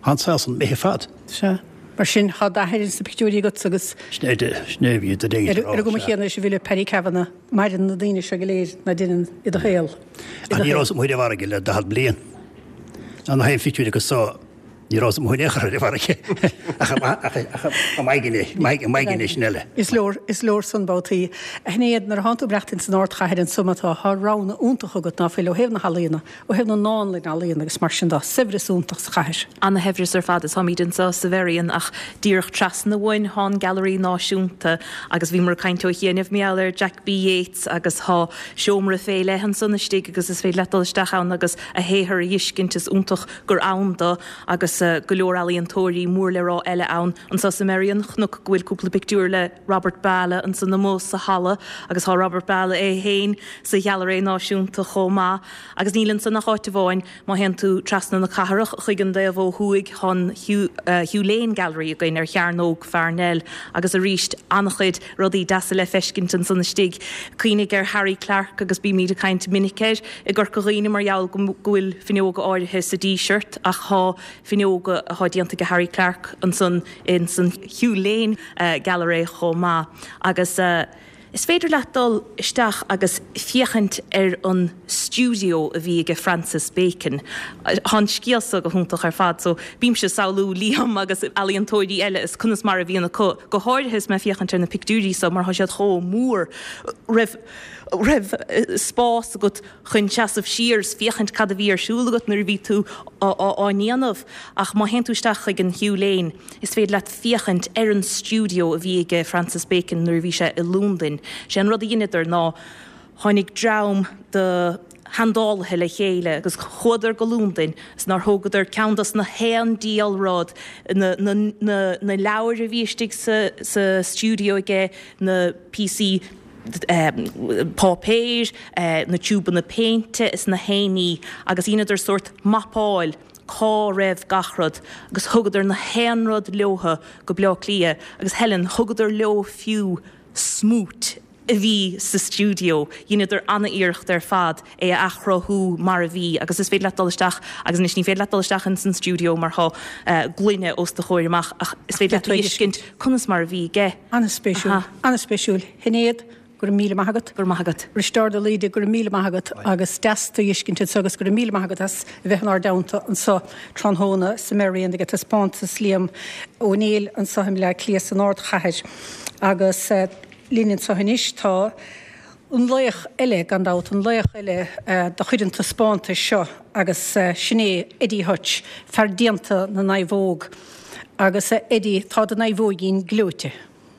Tá an saol san imithe ar fad. Sea. Mar sin, tá d'athair ins na pictiúirí agat agus. Sin é, sin é a bhí do dhéantar Ar an gcuma chéanna leis an bhfile Paddy Kavanagh, maireann na daoine seo go léir ná deineann i do shaol. Ach ní rabhas amuigh ar an bhfarraige le 40 bliain. Ná na haon phictiúir acu so, ní rabhas amuigh in aon chor ar an bhfarraige. Ach i m'aigne, m'aigne sin eile. Is leor, is leor san babhtaí. A Shinéad, nuair a thánn tú ag maireachtaint san ardchathair anso mar atá, tá roghanna iontach agat ná fuil ó thaobh na healaíona. Ó thaobh na ndánlann ealaíon agus mar sin de, saibhreas iontach sa chathair. Ana-shaibhreas ar fad is táimid anseo sa Mherrion ach díreach trasna uainn thá an Gailearaí Náisiúnta agus bhíomar ag caint ó chianaibh mar gheall ar Jack B Yeats agus thá seomra fé leith ansan istigh agus is féidir leat dul isteach ann agus a shaothar a dh'fheiscint is iontach gur ann do agus go leor ealaíontóirí mór le rá eile ann anseo sa Merrion. Chonac go bhfuil cúpla pictiúr le Robert Ballagh ansan amuigh sa halla agus thá Robert Ballagh é féin sa Ghealairéa Náisiúnta chomh maith. Agus níl ansan ach áit amháin, má théann tú trasna na cathrach chuig an dtaobh ó thuaidh, tá an Hugh Lane Gallery againn ar Chearnóg Pharnell agus arís an-chuid rudaí deasa le feiscint ansan istigh. Cuimhnigh ar Harry Clarke agus bímid ag caint minic air i gCorca Dhuibhne mar gheall go bhfuil fuinneoga áirithe sa Díseart ach tá fuinneoga atá déanta ag Harry Clarke ansan ins an Hugh Lane Gallery chomh maith agus. Is féidir leat dul isteach agus féachaint ar an stiúideo a bhí aige Francis Bacon. Tá an scéal so go hiontach ar fad so bímse ag samhlú Liam agus ealaíontóirí eile is conas mar a bhíonn acu, go háirithe is mé ag féachaint ar na pictiúirí so mar tá siad chomh mór. Raibh raibh spás agat chun seasamh siar is féachaint cad a bhí ar siúl agat nuair a bhí tú á ndéanamh ach má théann tú isteach chuig an Hugh Lane Is féidir leat féachaint ar an stiúideo a bhí aige Francis Bacon nuair a bhí sé i Londain. Sé an rud a dheineadar ná tháinig dream de sheandálaithe le chéile agus chuadar go Londain is nár thógadar ceann dos na haon diabhal rud, na, na, na, na leabhair a bhí istigh sa, sa stiúideo aige, na píosaí páipéir, na tiúbanna péinte is na haon ní agus dheineadar sórt mapáil cá raibh gach rud agus thugadar na haon rud leotha go Bleá Cliath agus Helen, thugadar leo fiú smúit a bhí sa stiúideo, dheineadar ana-iarracht ar fad é a athchruthú mar a bhí agus is féidir leat dul isteach agus anois ní féidir leat dul isteach ins an stiúideo mar thá gloine os do chomhair amach ach is féidir leat a fheiscint conas mar a bhí aige. An-spéisiúil, an-spéisiúil. Shinéad, Go raibh míle maith agat. Go raibh maith agat. Risteárd Ó Laoide, go raibh míle maith agat agus deas tú a fheiscint anseo agus go raibh míle maith agat as a bheith inár dteannta anseo tráthnóna sa Merrion ag taispeántas Liam Ó Néill anseo i mBleá Cliath san ardchathair. Agus linn anseo anois tá an laoch eile, gan dabht, an laoch eile de chuid an taispeántais seo agus sin é Eddie Hutch, fear déanta na naomhóg. Agus a Eddie, tá do naomhóigín gleoite.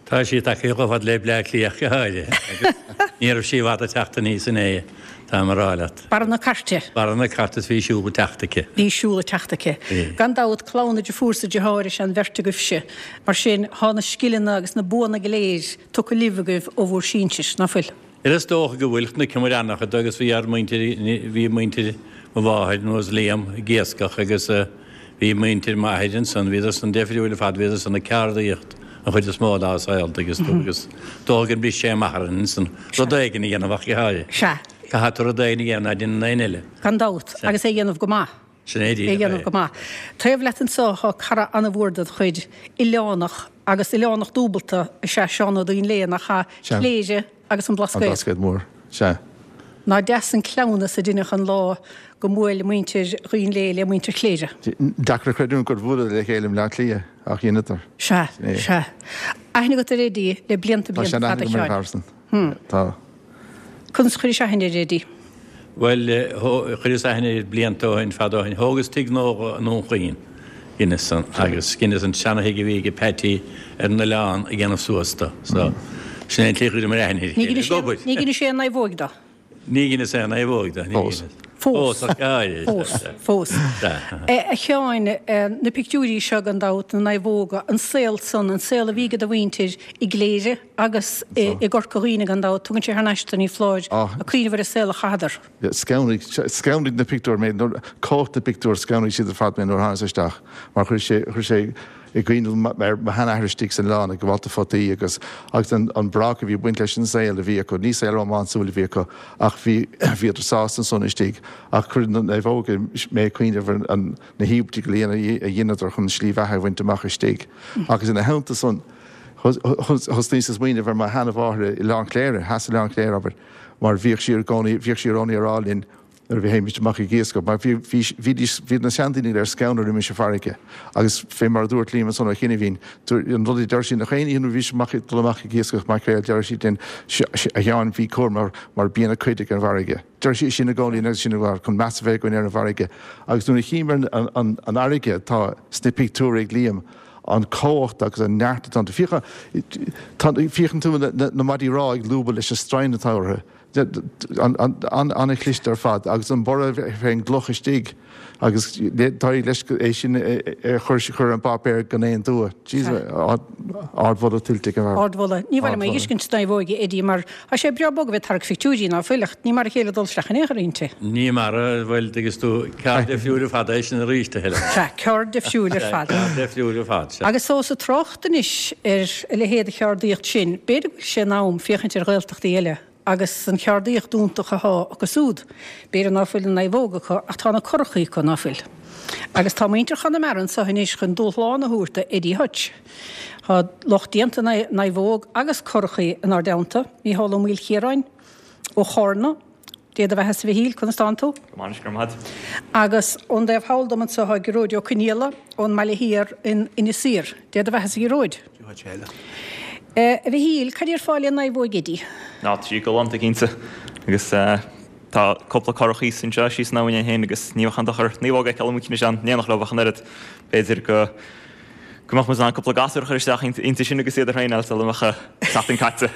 Tá sí tagtha chomh fada le Bleá Cliath go háirithe agus ní raibh sí i bhfad ag teacht aníos inné, táim a rá leat. Barra na Cairte. Barra na Cairte is bhí siúl ag teacht aici. Bhí siúl ag teacht aici. Bhí. Gan dabht, clann na deirfiúr is deartháir is ea an bheirt agaibhse. Mar sin, thá na scileanna agus na buanna go léir tugtha libh agaibh ó bhur sinsir, ná fuil? Is dócha go bhfuil. Chonaiceamar an-chuid agus bhí ár muintir, bhí muintir mo mháthair nó Liam ag iascach agus bhí muintir m'athair ansan, bhíodar san deifriúil ar fad, bhíodar san ag ceardaíocht an chuid is mó dá saol agus tú agus dócha gur bhris sé amach orainn ansan rud éigin a dhéanamh ach go háirithe. Sea. Caithfidh tú rud éigin a dhéanamh ná déanann éinne eile. Gan dabht. Agus é a dhéanamh go maith. Sin é díreach é. dhéanamh go maith. Taobh leat anso thá cara an-mhór ded chuid, oileánach, agus oileánach dúbalta is ea Seán Ó Duinnshléibhe, nach ea? Sea. Cléire agus an An Blascaod. Blascaod Mór. Sea. Ná deas an cleamhnas a deineadh an lá go mbuail muintir Dhuinnshléibhe le muintir Chléire. Deacair a chreidiúint gur bhuaileadar le chéile i mBleá Cliath, ach dheineadar. Sea, Sin é. sea. Aithne agat ar Eddie le blianta, Tá blianta sean-aithne fada, agam ar an Sheáin. bhfear san. Tá. Conas a chuiris aithne ar Eddie? Bhuel, chuireas aithne air blianta ó shin, fada ó shin. Thógas tigh nua dho i nDún Chaoin, dheineas san, agus dheineas an seana-thigh a bhí aige Peaití ar an oileán a dhéanamh suas do. So, sin é an tslí a chuireamar aithne ar a chéile. Ag obair. Ní dheinis aon naomhóig do. Ní dheineas aon naomhóig do, ní Fós. dheineas. Fós. Fós, ach áirithe. Fós, fós. Sea. A Sheáin, na pictiúirí seo gan dabht, na naomhóga, an saol san, an saol a bhí ag do mhuintir i gCléire agus i gCorca Dhuibhne gan dabht, tugann sé thar n-ais tú, ní foláir, ag cuimhneamh ar an saol a chaitheadar. Scanraigh, scanraigh na pictiúir mé, nuair, cumhacht na bpictiúr, scanraigh siad ar fad mé nuair a thánas isteach mar chuir sé, chuir sé i gcuimhne dom ar mo sheanathair istigh san oileán ag gabháil do photaí agus, agus an, an brách a bhí ag baint leis an saol a bhí acu, ní saol rómánsúil a bhí acu ach bhí, bhíodar sásta ansan istigh ach chuir na naomhóga mé ag cuimhneamh ar an, na híobairtí go léir a dheineadar chun slí bheatha a bhaint amach istigh agus ina theannta san thosnaíos ag smaoineamh ar mo sheanamháthair i Oileán Chléire, theas Oileán Chléire abair, mar bhíodh sí i gcónaí, bhíodh sí i gcónaí ag rá linn nuair a bhí théimis amach ag iascach, mar bhí, bhí, bhídís, bhíod na seandaoine go léir scanraithe roimis an bhfarraige agus fé mar a dúirt Liam ansan ó chianaibhín, an rud a deir sí nach aon oíche nuair a bhí sí amach, ag dul amach ag iascach maicréil, deireadh sí linn, a Sheáin, bí cúramach mar bíonn a cuid ag an bhfarraige. Deir sí sin i gcónaí agus sin chun meas a bheith againn ar an bhfarraige agus nuair a chím ar an fharraige atá sna pictiúir ag Liam, an cumhacht agus an neart atá iontu. Féachann tú na maidí rámha ag lúbadh leis an stroighin atá orthu. An-chliste ar fad agus an borradh fén gcloch istigh agus d'éirigh leis é sin a chur ar an bpáipéar gan aon dua. Jeez, ardmholadh tuillte ag an bhfear. Ardmholadh. Ní mhaith liom é a fheiscint sna naomhóga, Eddie, mar tá sé breá bog a bheith ag tarrac phictiúirí, ná fuil, ach ní mar a chéile dul isteach in aon chor inti. Ní mar a, bhuel, tuigeann tú, ceard difriúil ar fad é sin arís, a Helen. Sea, ceard difriúil ar fad. Ceard difriúil ar fad, sea. Agus ós ag trácht anois ar a leithéid de cheardaíocht sin, b'fhéidir go bhfuil sé in am féachaint ar Ghaeltachtaí eile. agus an cheardaíocht iontach athá acu súd. B'fhéidir ná fuil an naomhóg acu ach tá na curachaí acu, ná fuil? Agus tá muintir Chonamara anso anois chun dúshlán a thabhairt do Eddie Hutch. Tá lucht déanta naomhóg agus curachaí inár dteannta, Mícheál Ó Maoilchiaráin ó Chárna, Dé do bheathasa a Mhichíl, conas tánn tú? Go maith anois, go raibh maith agat. Agus ón dtaobh thall dom anso tá Gearóid Ó Conaola ón mBaile Thiar in Inis Oírr. Dé do bheathasa a Ghearóid. Dia dhuit a Helen. A Mhichíl, cad déarfá le naomhóig Eddie? Ná, tá sí galánta cinnte. Agus tá cúpla curach thíos anseo síos an abhainn féin agus ní bheadh aon dochar naomhóg a fheiceáil amuigh ansin in éineacht leo ach an oiread. B'fhéidir go go mbeadh muid in ann cúpla gasúr a chur isteach inti sin agus iad a thraenáil sula mbeadh seachtain caite.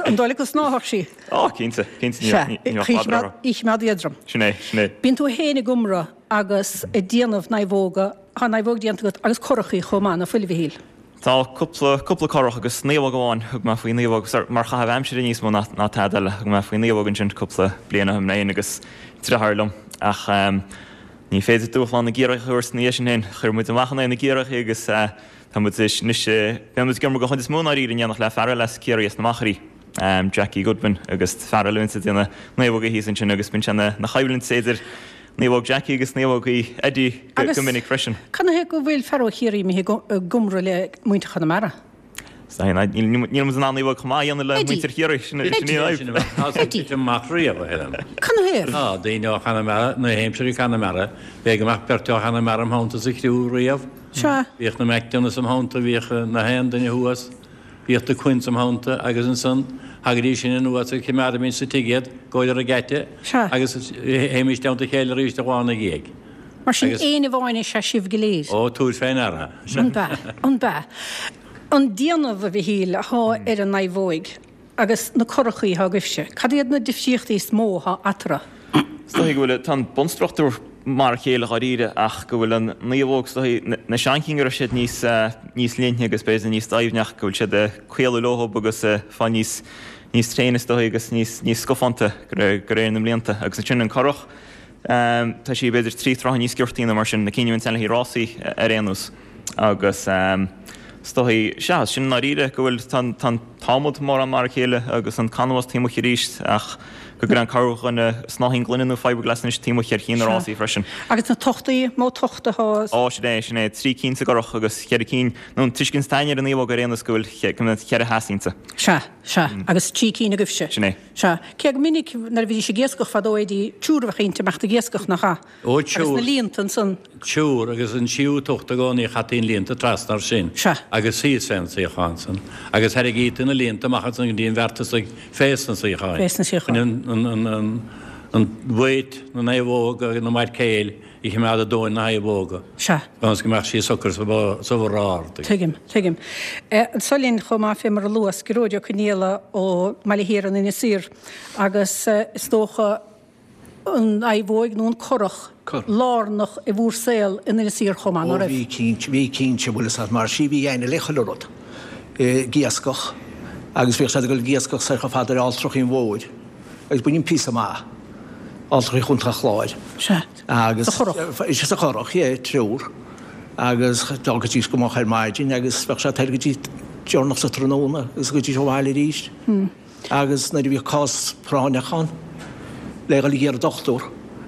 An dóigh leat go snámhfadh sí? Ó, cinnte, cinnte, ní bheadh fadhb orthu. Í choimeád éadrom. Sin é, sin é. Bíonn tú féin ag iomramh agus ag déanamh naomhóga, tá naomhóg déanta agat agus curachaí chomh maith, ná fuil, a Mhichíl? Tá cúpla, cúpla curach agus naomhóg amháin, thug mé faoi naomhóg, mar chaitheamh aimsire níos mó ná tada eile, thug mé faoi naomhóg ansin cúpla bliain ó shin féin agus deartháir liom ach, Ní féidir dúshlán na gCiarraíoch a thabhairt ina dhiaidh sin féin. Chuir muid amach in aghaidh na gCiarraíoch agus tá muid anois, bíonn muid ag iomramh den chuid is mó i ndáiríre in éineacht le fear eile as Ciarraí as na Machairí, Jackie Goodwin agus fear eile a bhíonns ag déanamh naomhóga thíos ansin agus bíonn sé ina choimhlint idir naomhóg Jackie agus naomhóg Eddie go minic freisin. Agus canathaobh go bhfuil fear ó Chiarraí imithe ag iomramh le muintir Chonamara? Níl muid in ann naomhóg chomh maith a dhéanamh le muintir Chiarraí, sin í an fhadhb. Eddie. amach riamh, a Helen. Canathaobh? Tá, daoine ó Chonamara, na haimsirí Conamara, b'fhéidir go mbeadh beirt ó Chonamara im theannta sa chriú riamh. Sea. Bhíodh na McDonaghs im theannta, bhíodh na haon duine thuas, bhíodh na Quinns im theannta agus ansan thagaidís sin anuas agus choimeádaimis sa tigh iad, go ar an geata agus théimis i dteannta a chéile arís an lá ina dhiaidh. Mar sin, éinne amháin is ea sibh go léir. Ó, tabhair fé ndeara. An b'ea? An b'ea? An déanamh, a Mhichíl, athá ar an naomhóig agus na curachaí athá agaibhse, cad iad na difríochtaí is mó athá eatarthu? Is dóigh go bhfuil, tá an bunstruchtúr mar a chéile dháiríre ach go bhfuil an naomhóg, is dóigh, na seanchinn go raibh siad níos, níos linne agus b'fhéidir níos doimhne ach go bhfuil siad ag caolú leothub agus ag fáil níos, níos tréine is dóigh agus níos, níos scafánta de réir na mblianta. Agus ansin an curach, Tá sí b'fhéidir 3 troithe níos giortaí nó mar sin, na cinn a bhíonn ann le haghaidh rásaí ar aon nós. Agus is dóigh, sea, sin i ndáiríre go bhfuil, tá an t-adhmad mórán mar a chéile agus an canbhás taobh amuigh arís ach go gcuireann corrdhuine snáithín gloine nó fiberglass anois taobh amuigh ar chinn na rásaí freisin. Agus na tochtaí, mó tocht atá? Ó, sin é, sin é, 3 cinn sa gcurach agus cheithre cinn, nó an tuiscint atá againn ar an naomhóg ar aon nós go bhfuil, go mbeadh cheithre theas inti. Sea, sea, agus 3 cinn agaibhse. Sin é. Sea. Cé go minic nuair a bhídís ag iascach fadó Eddie, triúr a bheadh inti amach ag iascach, nach ea? Ó, Agus triúr. na líonta ansan. Triúr, agus an tríú tocht i gcónaí chaití an líonta trasna air sin. Sea. Agus síos fén suíochán san. Agus tharraingítí na líonta amach ansan go dtí an bheart tosaigh fés na suíocháin. Fés na suíocháin. Chun an, an, an, an weight na naomhóga agus na maircéil a choimeád i dtóin na naomhóga. Sea. Ionas go mbeadh sí socair sa bharr ard. Tuigim, tuigim. Anso linn chomh maith fé mar a luas, Gearóid Ó Conaola ó mBaile Thiar in Inis Oírr agus is dócha an naomhóig nó an curach lárnach i bhúr saol in Inis Oírr chomh maith, ná Ó raibh? bhí cinnte, bhí cinnte, bhfuil fhios a't mar sí bhí aithne le chuile rud ag iascach agus bhíodh siad ag dul ag iascach soir chomh fada le Alltrachaí an Mhóir agus b'in píosa maith, Alltrachaí Chontae an Chláir. Sea. Agus Sa churach. Sa churach, yeah, triúr. Agus d'fhágaidís go moch ar maidin agus bheadh sé toir go dtí deireanach sa tráthnóna agus ghabhaidís abhaile arís. Agus nuair a bhíodh cás práinneach ann le dhul ag iarraidh dochtúr,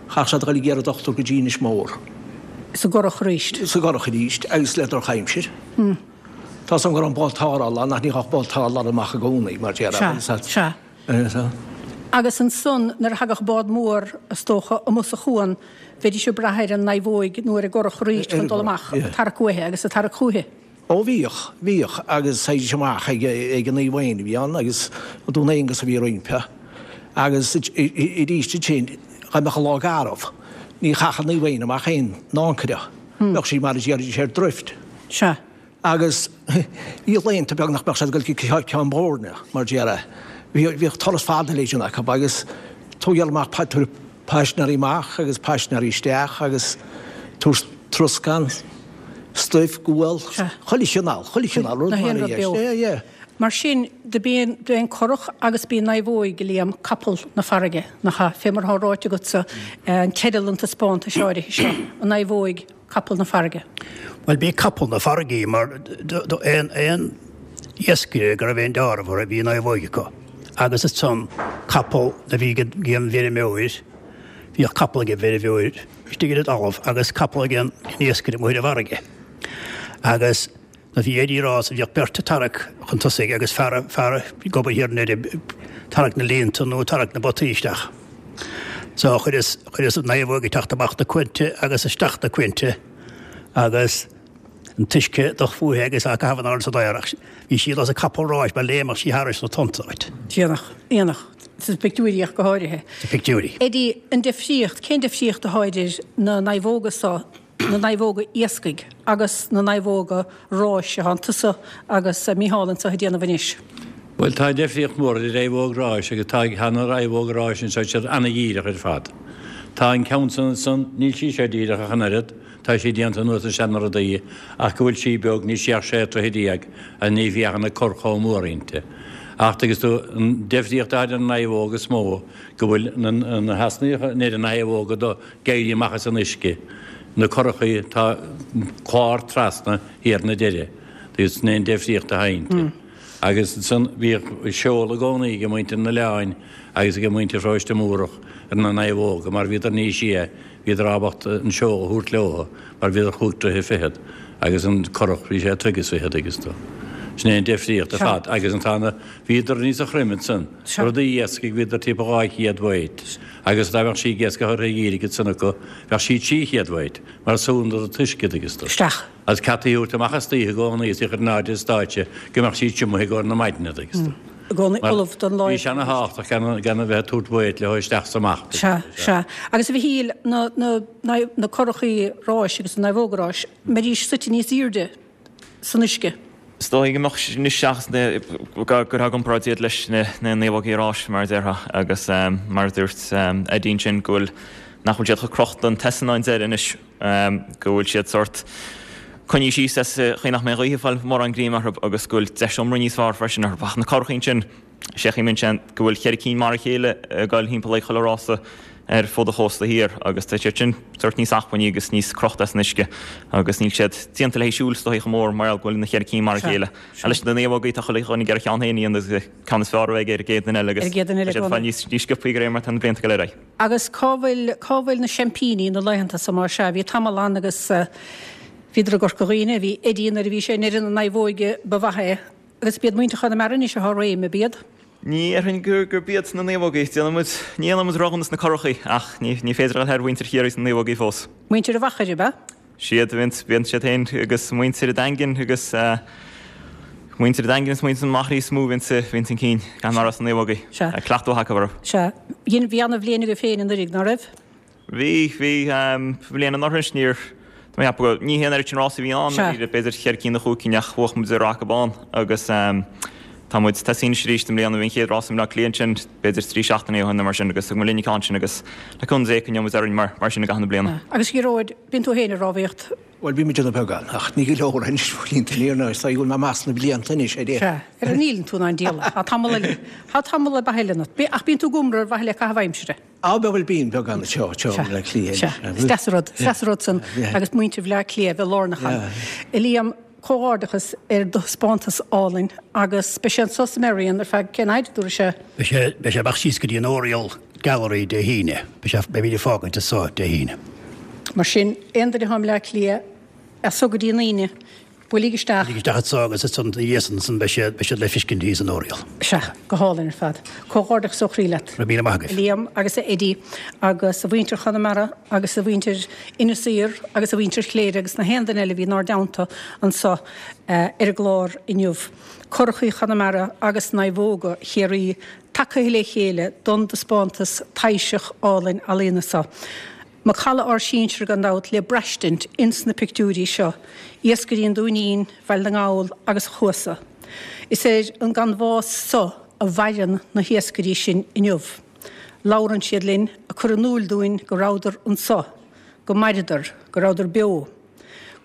chaithfeadh siad a dhul ag iarraidh dochtúr go dtí Inis Mór. Sa gcurach arís. Sa gcurach arís agus le drochaimsir. Tá 's agam go raibh an bád tarrthála ann ach ní ghabhadh bád tarrthála amach i gcónaí mar déarfá. Sea, sea. Agus ansan nuair a thagadh bád mór, is dócha, amuigh sa chuan, bheidís ag brath ar an naomhóig nó ar an gcurach arís chun dul amach, ag tarrac uaithi agus ag tarrac chúithi. Ó bhíodh, bhíodh, agus théidís amach ag ag an Naomh Éanna a bhí ann agus Dún Aonghasa a bhí roimpi agus arís ansin dá mbeadh an lá garbh, ní chaithfeadh an Naomh Éanna amach aon ancaire, bheadh sí mar a déarfaidís ar drift. Sea. Agus bhí laethanta beag nach mbeadh siad ag dul go Ceann Boirne, mar déarfá. Bhíodh turas fada le déanamh acu agus tógáil amach, tabhairt paisinéirí amach agus paisinéirí isteach agus tabhairt troscán, stuif, gual, chuile chineál, chuile chineál rud mar a dheis. Yeah, yeah. Mar sin, do b'é an curach agus b'í an naomhóig, a Liam, capall na farraige, nach ea? Fé mar atá ráite agatsa, an teideal an taispeántais áirithe seo, an naomhóig. Capall na farraige. Bhuel, b'í capall na farraige í mar aon aon iascaire go raibh aon deáramh orthu, bhí naomhóig acu. Agus ansan capall a bhí ag an bhfeirmeoir, bhíodh capall ag an bhfeirmeoir istigh ar an dtalamh agus capall ag an iascaire amuigh ar an bhfarraige. Agus nuair a bhí Eddie ag rás bhíodh beirt ag tarrac chun tosaigh agus fear fear ag obair thiar i ndeireadh ag tarrac na líonta nó ag tarrac na bpotaí isteach. So chuireas chuireas an naomhóg ag teacht amach na cuanta agus isteach na cuanta agus an t-uisce ag fúithi agus á caitheamh in airde san aer ach bhí sí ar nós capall ráis mar léimeadh sí thairis na tonnta dhuit. Iontach, iontach. Sna pictiúirí ach go háirithe. Sna pictiúirí. Eddie, an difríocht, cén difríocht atá idir na naomhóga so, na naomhóga iascaigh agus na naomhóga ráis atá tusa agus Micheál anseo ag déanamh anois? Bhuel, tá deifríocht mhór idir naomhóg ráis agus tá tá na naomhóga ráis anseo, siad ana-dhíreach ar fad. Tá an ceann san ansan, níl sí seo díreach ach an oiread, Tá sí déanta ar nós na seana-rudaí ach go bhfuil sí beag, níl sí ach sé troithe agus ní bheadh an cur chomh mór inti. Acht agus tú, an deifríocht atá idir an naomhóg is mó go bhfuil na na heasnaíocha ar an naomhóga do ag éirí amach as an uisce, na curachaí tá clár trasna thiar na deireadh agus sin é an deifríocht atá inti. Agus ansan bhíodh seol i gcónaí ag muintir an oileáin agus ag muintir Pharóiste Múrach ar na naomhóga mar bhíodar níos sia Bhíodar ábalta an seol a thabhairt leo mar bhíodar chúig troithe fichead agus an curach bhí sé troigh is fichead agus do. Sin é an deifríocht ar fad agus an tá na, bhíodar níosa throime ansan. Rudaí iascaigh bhíodar timpeall 200 weight agus dá mbeadh sí ag iascach ar dhírigh ansan acu bheadh sí 300 weight mar súnn an t-uisce agus do. Isteach. Agus ceataí a thabhairt amach istoíche i gcónaí is í a chur in airde ar stáitse go mbeadh sí triomaithe i gcomhair na maidne agus do. I gcónaí ullamh don lá Bhí sé ana thábhachtach gan gan a bheith ag tabhairt weight leo isteach is amach. Sea, sea. Agus a Mhichíl, na, na, na, na curachaí ráis agus na naomhóga ráis, mbeidís suite níos airde san uisce? Is dóigh go mbeadh anois seachas na, go gcuirfeá i gcomparáid iad leis na, na naomhógaí ráis mar a déarfá agus mar a dúirt Eddie ansin go bhfuil, nach bhfuil siad chomh crochta an t-easna an deireadh anois. go bhfuil siad sórt coinnithe síos as chaoi nach mbeidh an ghaoth ag fáil mórán greim orthu agus go bhfuil deis iomra níos fearr freisin orthu. Ach na curachaí ansin, sé chaoi ansin go bhfuil cheithre cinn mar a chéile ag dul thimpeall ag chuile rása ar fud an chósta thiar agus tá siad sin sórt níos acmhainní agus níos crochta as an uisce agus níl siad déanta le haghaidh siúil is dóigh chomh mór mar gheall go bhfuil na cheithre cinn mar a chéile. Leis na naomhógaí tá chuile dhuine ag iarraidh a cheann féin a dhéanamh agus ceann is fearr a bheidh ar an gcéad duine eile agus tá siad ag fáil níos sciobthaí de réir mar atá na blianta ag dul ar aghaidh. Agus cá bhfuil, cá bhfuil na seaimpíní na laethanta so mar sea, bhí tamall ann agus bhíodar i gCorca Dhuibhne, bhí Eddie nuair a bhí sé i ndeireadh na naomhóige ba mhaith é, agus b'iad muintir Chonamara anois atá i réim, ab iad? Ní dhéarfainn gur, gurb iad na naomhógaí. Déanann muid, ní dhéanann muid roghnú sna curachaí ach ní, ní féidir a dhul thar mhuintir Chiarraí sna naomhógaí fós. Muintir an Mhachaire, ab ea? Siad, bíonn siad féin agus muintir an Daingin agus muintir an Daingin is muintir na Machairí is mó a bhíonns chun cinn gan mar as na naomhógaí. Sea. Cleachtadh acu orthu. Sea. Dhein, bhí ana-bhliain agaibh féin anuraidh, ná raibh? Bhí, bhí. Bhliain anuraidh níor, tá mé ag ceapadh go, ní hé an oiread sin rásaí a bhí ann, b'fhéidir cheithre cinn nó chúig cinn ach bhuaigh muid ar Raca Bán agus tá muid tosaithe anois arís i mbliana, bhí an chéad rás i mBleá Cliath ansin b'fhéidir trí seachtainí ó shin nó mar sin agus thug muid linn an ceann sin agus le cúnamh Dé coinneoidh muid orainn mar sin i gcaitheamh na bliana. Agus a Ghearóid, bíonn tú féin ag rámhaíocht? Bhuel, bím ag déanamh beagán, ach ní go leor anois, blianta aniar ná is dóigh go bhfuil mé amach sna blianta anois, ar Sea, ar an níleann tú in ann díol. Tá tamall eile, tá tamall ar bith eile ionat. Ach bíonn tú ag iomramh ar mhaithe le caitheamh aimsire. Á, bhuel, bíonn beagán anseo, anseo i mBleá Cliath. Sea, is deas an rud, is deas an rud san agus muintir Bhleá Cliath a bheith lárnach ann. A Liam, comhghairdeachas ar do thaispeántas álainn agus beidh sé anso sa Merrion ar feadh cén fhaid, dúradh sé? Beidh sé, beidh sé amach síos go dtí an Oriel Gallery Dé hAoine. Beidh sé, beimid ag fágaint anso Dé hAoine. Mar sin, aon duine atá i mBleá Cliath, as so go dtí an Aoine, Buailigí isteach. Buailigí isteach anso agus ansan ina dhiaidh san ansan beidh siad, beidh siad le feiscint thíos in Oriel. Sea, go hálainn ar fad. Comhghairdeachas ó chroí leat. Go raibh míle maith agaibh. A Liam agus a Eddie agus a mhuintir Chonamara agus a mhuintir Inis Oírr agus a mhuintir Chléire agus na haon duine eile a bhí inár dteannta anso ar an gclár inniu. Curachaí Chonamara agus Naomhóga Chiarraí tagaithe le chéile don dtaispeántas taibhseach álainn ealaíona so. Macalla ár sinsear gan dabht le braistint ins na pictiúirí seo, iascairí an Dúinín, Bhaile na nGall agus an Chuasa. Is ar an gcanbhás so a mhaireann na hiascairí sin inniu. Labhrann siad linn, ag cur in úil dúinn go rabhadar anso, go maireadar, go rabhadar beo.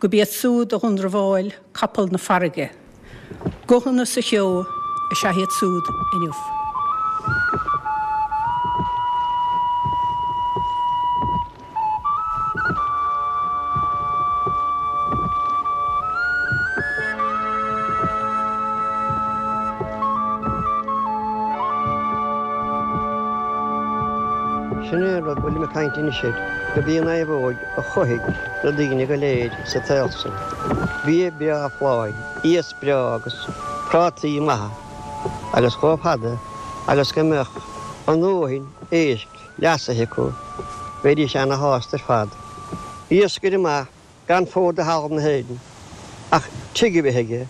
Gurb iad súd a dh'iondramháil capall na farraige. Guthanna sa cheo is ea iad súd inniu. a bhfuilim ag caint anois air, gurb í an naomhóig a chothaigh na daoine go léir sa tsaol san. Bia breá folláin, iasc breá agus prátaí maithe agus chomh fada agus go mbeadh a ndóthain éisc leasaithe acu, bheidís ana-shásta ar fad. Iascaire maith gan fód de thalamh na hÉireann ach tigh a bheith aige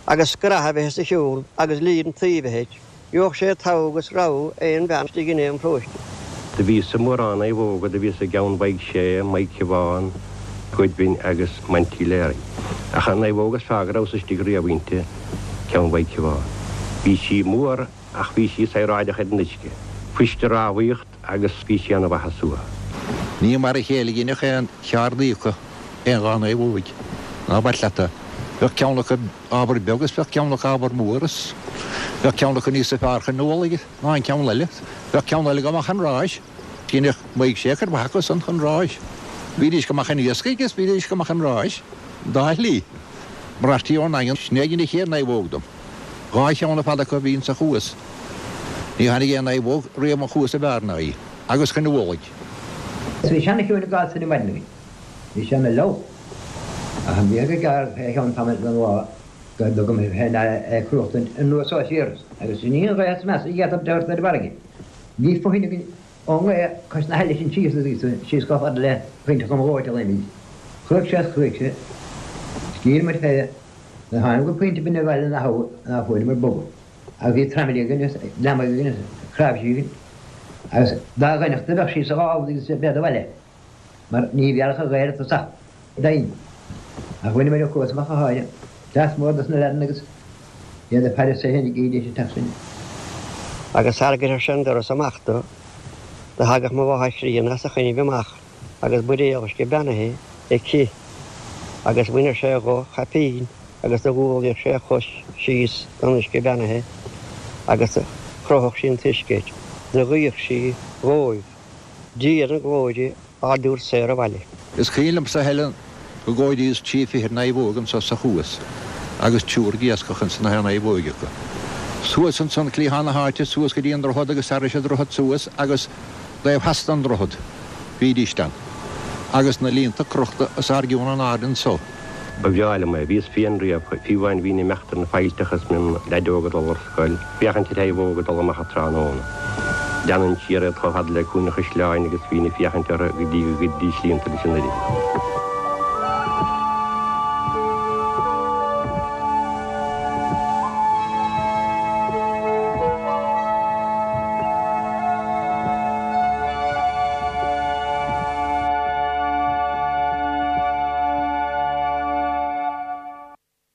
agus scraith a bheith os a chionn agus líon tuí a bheith air, gheobhadh sé togha agus rogha aon bhean istigh in aon pharóiste. Do bhíos i mórán naomhóga, do bhíos i gceann Mhaigh Sé, Maigh Cibheán, Goodwin agus Monty Leary. Ach an naomhóg is fearr go rabhas istigh riamh inti, ceann Mhaigh Cibheán. Bhí sí mór ach bhí sí saoráideach ar an uisce. Fuist a rámhaíocht agus bhí sí ana mhaith a suathadh. Ní mar a chéile a dheineadh aon cheardaí acu aon dhá naomhóig, ná bac leat é. Bheadh ceann acu ábhar beag is bheadh ceann acu ábhar mór is bheadh ceann acu níosa fearr chun an mhullaigh ná an ceann eile. Bheadh ceann eile go maith chun ráis. Dheineadh Maigh Sé cuid mhaith acu san chun ráis. Bhídís go maith chun iascaigh is bhídís go maith chun ráis. An dá shlí. Marachtí ón nDaingean, sin é a dhein an chéad naomhóg dom. Dhá cheann ar fad acu a bhí insa chuas. Ní tháinig aon naomhóg riamh an chuas ab fhearr ná í, agus chun an mhullaigh. Bhí seana-chiúin i gcás san maidin againn. Bhí sé ina fhliuch. Ach an bhíodh go gearr fé cheann tamaill den lá go dtugaim féin é cruachtaint anuas ó siar agus sin í an ghaoth is measa a d'fhéadfadh teacht ar an bhfarraige. Bhí fothain againn ón ngaoth cois na haille sin síos agus síos chomh fada le Pointe Chom Dhóite a luimigh. Chruaigh sé is chruaigh sé. Sciorr muid fé. Nuair a tháinig go pointe binne bhaile na habha ná fuaireamar bogadh. Agus bhí tramaillí againn agus leamaigh againn agus cnáimhsí againn agus dá dhoineachta a bheadh sí sa ghábhal agus bead abhaile mar ní bhéarfadh an ghaoth ar tosach doinn. Ach bhaineamar an cuas amach go háirithe. Cleas mór dos na leaideanna agus iad ag faire sa théinig íde an teach sin. Agus sara gcuirfeadh sé an doras amach do, do thagadh mo mháthair chríonna as a choinnibh amach agus buidéal uisce beannaithe aici agus bhaineadh sé dho chaipín agus do ghualaíodh sé a chos síos don uisce beannaithe agus do chrothadh sí an t-uisce air. Do ghuíodh sí dhóibh, Dia na glóire ár dtabhairt saor abhaile. Is cuimhin liomsa a Helen go gcomhairíos trí fichid naomhóg anso sa chuas agus triúr ag iascach ins na haon naomhóig acu. Suas ansan cliathán na háite suas go dtí an droichead agus thairis an droichead suas agus taobh theas den droichead bhídíst ann agus na líonta crochta os ár gcionn in airde anso. Ba bhreá liom é. Bhíos féin riamh, fiú amháin bhínn ag imeacht ar na faillteacha is mé im leaid óg ag dul ar scoil, féachaint ar naomhóga ag dul amach an tráthnóna. Leanainn siar iad chomh fada le Cúinne an Chaisleáin agus bhínn ag féachaint orthu go dtí go gcuiridís líonta leis an irial.